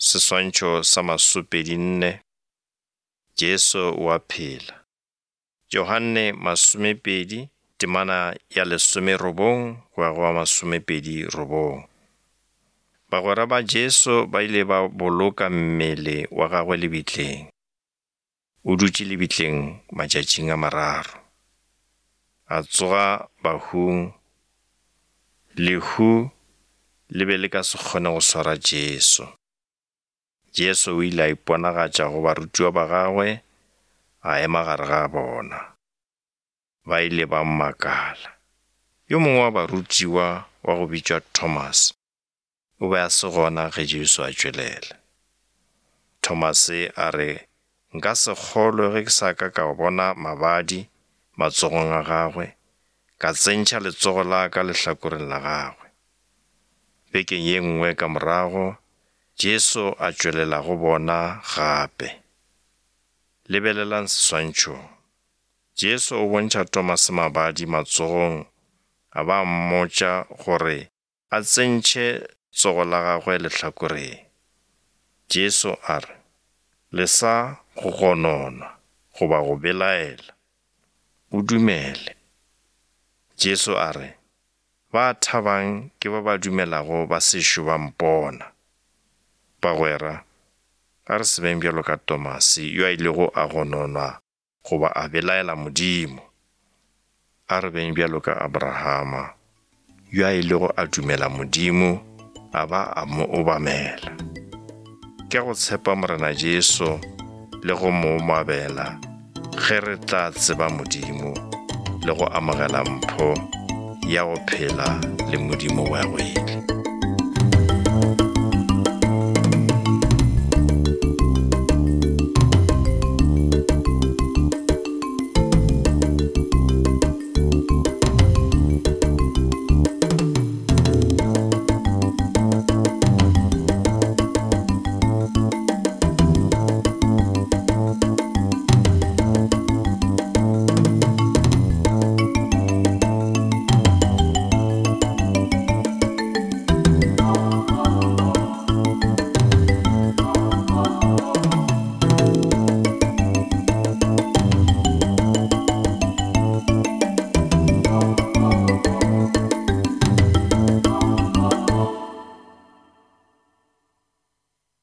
Seswantšho sa masopedinne, Jesu o a phela. Johanne masomepedi, temana ya lesomerobong go ya go wa masomepedi robong. Bagwera ba Jesu ba ile ba boloka mmele wa gagwe lebitleng. O dutše lebitleng matšatšing a mararo. A tsoga bahung. Lehu le be le ka se kgone go swara Jesu. Jesu o ile a iponagatša go barutiwa ba gagwe a ema gare ga bona. Ba ile ba mmakala. Yo mongwe wa barutiwa wa go bitšwa Thomase o be a se gona ge Jesu a tšwelela. Thomase a re, Nka se kgolwe ge ke sa ka ka bona mabadi matsogong a gagwe, ka tsentšha letsogo la ka lehlakoreng la gagwe. Bekeng ye nngwe ka morago, Jesu a tšwelela go bona gape. Lebelelang seswantšhong. Jesu o bontšha Tomase mabadi matsogong a ba a mmotša gore a tsentšhe tsogo la gagwe lehlakoreng. Jesu a re, Lesa go gonona goba go belaela, o dumele. Jesu a re, Ba thabang ke ba ba dumelago ba sešo ba mpona. Bagwera, a re se beng bjalo ka Tomase yo a ilego a gononwa goba a belaela Modimo. A re beng bjalo ka Abrahama yo a ilego a dumela Modimo a ba a mo obamela. Ke go tshepa Morena Jesu le go mo omabela ge re tla tseba Modimo le go amogela mpho ya go phela le Modimo go ya go ile.